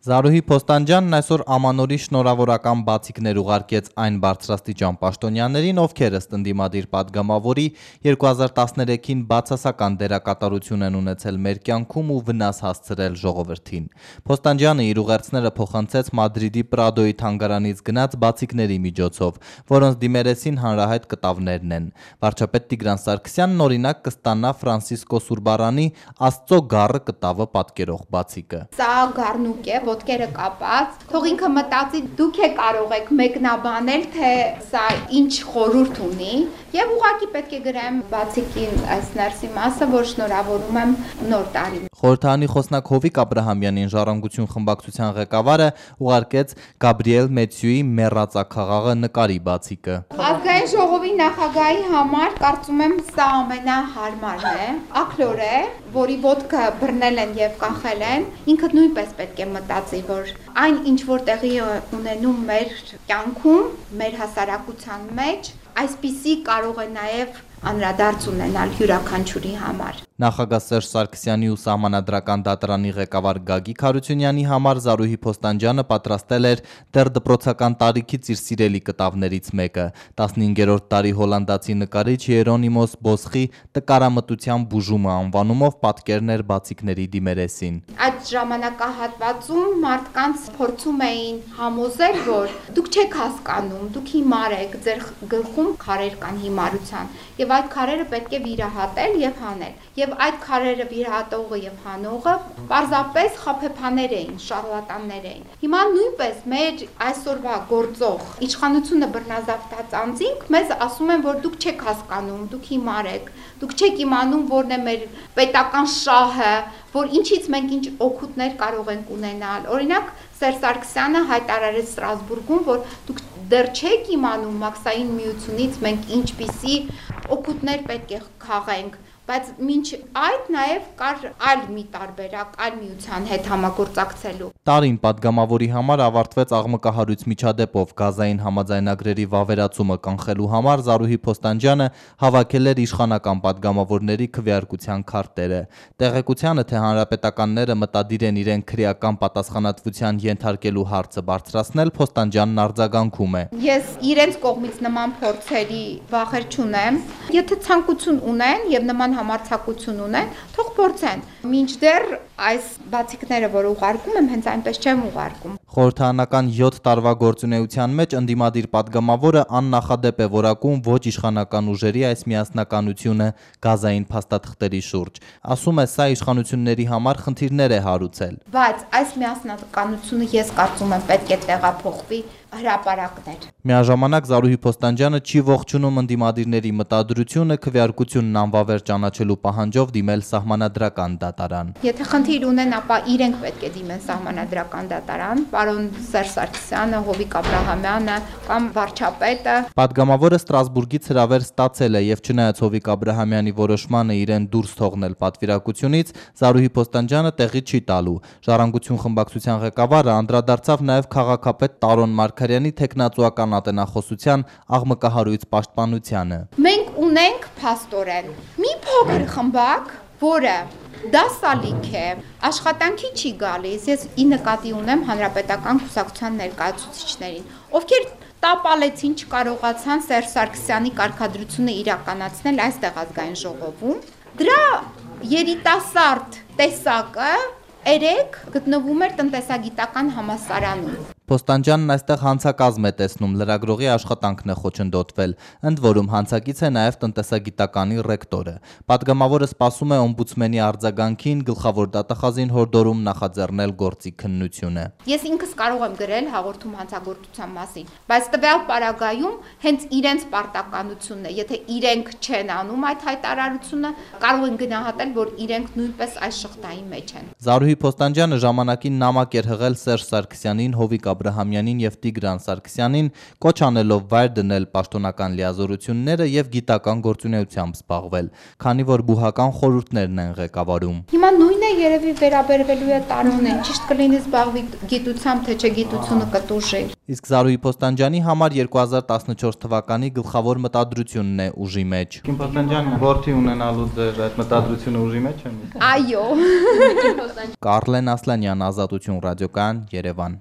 Զարուհի Փոստանջյանն այսօր ամանորի շնորհավորական բացիկներ ուղարկեց այն բարձրաստիճան պաշտոնյաներին, ովքեր ըստ ընդդիմադիր պատգամավորի 2013-ին բացասական դերակատարություն են ունեցել մեր կյանքում ու վնաս հասցրել ժողովրդին։ Փոստանջյանը իր ուղերձները փոխանցեց Մադրիդի Պրադոյի թանգարանից գնած բացիկների միջոցով, որոնց դիմերեսին հանրահայտ կտավներն են։ Վարչապետ Տիգրան Սարգսյանն օրինակ կստանա Ֆրանցիսկո Սուրբարանի Աստծո գառը կտավը պատկերող բացիկը։ Սա գառնուկ է, ոտքերը կապած, թող ինքը մտածի դուք է կարող եք մեկնաբանել, թե սա ինչ խորհուրդ ունի, եւ ուղղակի պետք է գրեմ բացիկին այս ներսի մասը, որ շնորհավորում եմ նոր տարին։ Խորհրդարանի խոսնակ Հովիկ Աբրահամյանին Ժառանգություն խմբակցության ղեկավարը ուղարկեց Գաբրիել Մեթյուի Մեռածաքաղաղը նկարի բացիկը։ Ազգային ժողովի նախագահի համար կարծում եմ սա ամենահարմարն է, ակլոր է, որի ոտքը բռնել են եւ կախել են, ինքը նույնպես պետք է մտածի, որ այն ինչ որ տեղի ունենում մեր կյանքում, մեր հասարակության մեջ, այսպիսի կարող է նաեւ անդրադարձ ունենալ յուրաքանչյուրի համար։ Նախագահ Սերժ Սարգսյանի ու Սահմանադրական դատարանի ղեկավար Գագիկ Հարությունյանի համար Զարուհի Փոստանջյանը պատրաստել էր դեռ դպրոցական տարիքից իր սիրելի կտավներից մեկը՝ 15-րդ տարի հոլանդացի նկարիչ Երոնիմոս Բոսխի «Տկարամտության բուժումը» անվանումով պատկերն էր բացիկների դիմերեսին։ Այդ ժամանակահատվածում մարդկանց փորձում էին համոզել, որ դուք չեք հասկանում, դուք հիմար եք, ձեր գլխում քարեր կան հիմարության, եւ այդ քարերը պետք է վիրահատել եւ հանել։ Եվ այդ քարերը վիրահատողը եւ հանողը պարզապես խաբեբաներ էին, շարլատաններ էին։ Հիմա նույնպես մեր այսօրվա գործող իշխանությունը բռնազավթած անձինք մեզ ասում են, որ դուք չեք հասկանում, դուք հիմար եք, դուք չեք իմանում որն է մեր պետական շահը, որ ինչից մենք ինչ օգուտներ կարող ենք ունենալ։ Օրինակ Սերժ Սարգսյանը հայտարարեց Ստրասբուրգում, որ դուք դեռ չեք իմանում մաքսային միությունից մենք ինչպիսի օգուտներ պետք է քաղենք, բայց մինչ այդ նաև կար այլ մի տարբերակ, այլ միության հետ համագործակցելու։ Տարին պատգամավորի համար ավարտվեց աղմկահարույց միջադեպով գազային համաձայնագրերի վավերացումը կանխելու համար Զարուհի Փոստանջյանը հավաքել էր իշխանական պատգամավորների քվեարկության քարտերը։ Տեղեկությանը, թե հանրապետականները մտադիր են իրեն քրեական պատասխանատվության ենթարկելու հարցը բարձրացնել, Փոստանջյանն արձագանքում է։ Ես իրենց կողմից նման փորձերի վախեր չունեմ։ Եթե ցանկություն ունեն եւ նման համարձակություն ունեն, թող փորձեն։ Մինչդեռ այս բացիկները, որ ուղարկում եմ, հենց այնպես չեմ ուղարկում։ Խորհրդարանական 7 տարվա գործունեության մեջ ընդդիմադիր պատգամավորը աննախադեպ է որակում ոչ իշխանական ուժերի այս միասնականությունը գազային փաստաթղթերի շուրջ։ Ասում է, սա իշխանությունների համար խնդիրներ է հարուցել։ Բայց այս միասնականությունը ես կարծում եմ պետք է տեղափոխվի հրապարակներ։ Միաժամանակ Զարուհի Փոստանջյանը չի ողջունում ընդդիմադիրների մտադրությունը քվեարկությունն անվավեր ճանաչելու պահանջով դիմել Սահմանադրական դատարան։ Եթե խնդիր ունեն, ապա իրենք պետք է դիմեն Սահմանադրական դատարան, պարոն Սերժ Սարգսյանը, Հովիկ Աբրահամյանը կամ վարչապետը։ Պատգամավորը Ստրասբուրգից հրավեր ստացել է եւ չնայած Հովիկ Աբրահամյանի որոշմանը իրեն դուրս թողնել պատվիրակությունից, Զարուհի Փոստանջյանը տեղի չի տալու։ Ժառանգություն խմբակցության ղեկավարը անդրադարձավ նաեւ քաղաքապետ Տարոն Մարգարյանի թեկնածուական ատենախոսության աղմկահարույց պաշտպանությանը։ Մենք ունենք փաստորեն մի փոքր խմբակ, որը դասալիք է, աշխատանքի չի գալիս, ես ի նկատի ունեմ հանրապետական կուսակցության ներկայացուցիչներին, ովքեր տապալեցին, չկարողացան Սերժ Սարգսյանի կարգադրությունը իրականացնել այստեղ ազգային ժողովում։ Դրա երիտասարդ տեսակը երեք գտնվում էր տնտեսագիտական համալսարանում։ Փոստանջյանն այստեղ հանցակազմ է տեսնում, լրագրողի աշխատանքն է խոչընդոտվել, ընդ որում հանցակից է նաև տնտեսագիտականի ռեկտորը։ Պատգամավորը սպասում է օմբուդսմենի արձագանքին, գլխավոր դատախազին հորդորում նախաձեռնել գործի քննությունը։ Ես ինքս կարող եմ գրել հաղորդում հանցագործության մասին, բայց տվյալ պարագայում հենց իրենց պարտականությունն է, եթե իրենք չեն անում այդ հայտարարությունը, կարող են գնահատել, որ իրենք նույնպես այս շղթայի մեջ են։ Զարուհի Փոստանջյանը ժամանակին նամակ էր հղել Սերժ Սարգսյանին, Հովիկ Աբրահամյանին եւ Տիգրան Սարգսյանին, կոչ անելով վայր դնել պաշտոնական լիազորությունները եւ գիտական գործունեությամբ զբաղվել, քանի որ բուհական խորհուրդներն են ղեկավարում։ Հիմա նույնն է երևի վերաբերվելու է Տարոնեն, ճիշտ կլինի զբաղվի գիտությամբ, թե չէ գիտությունը կտուժի։ Իսկ Զարուհի Փոստանջյանի համար 2014 թվականի գլխավոր մտադրությունն է ուժի մեջ։ Քիմ Փոստանջյան, որդի ունենալու ձեր այդ մտադրությունը ուժի մեջ է։ Այո։ Կարլեն Ասլանյան, Ազատություն ռադիոկայան, Երևան։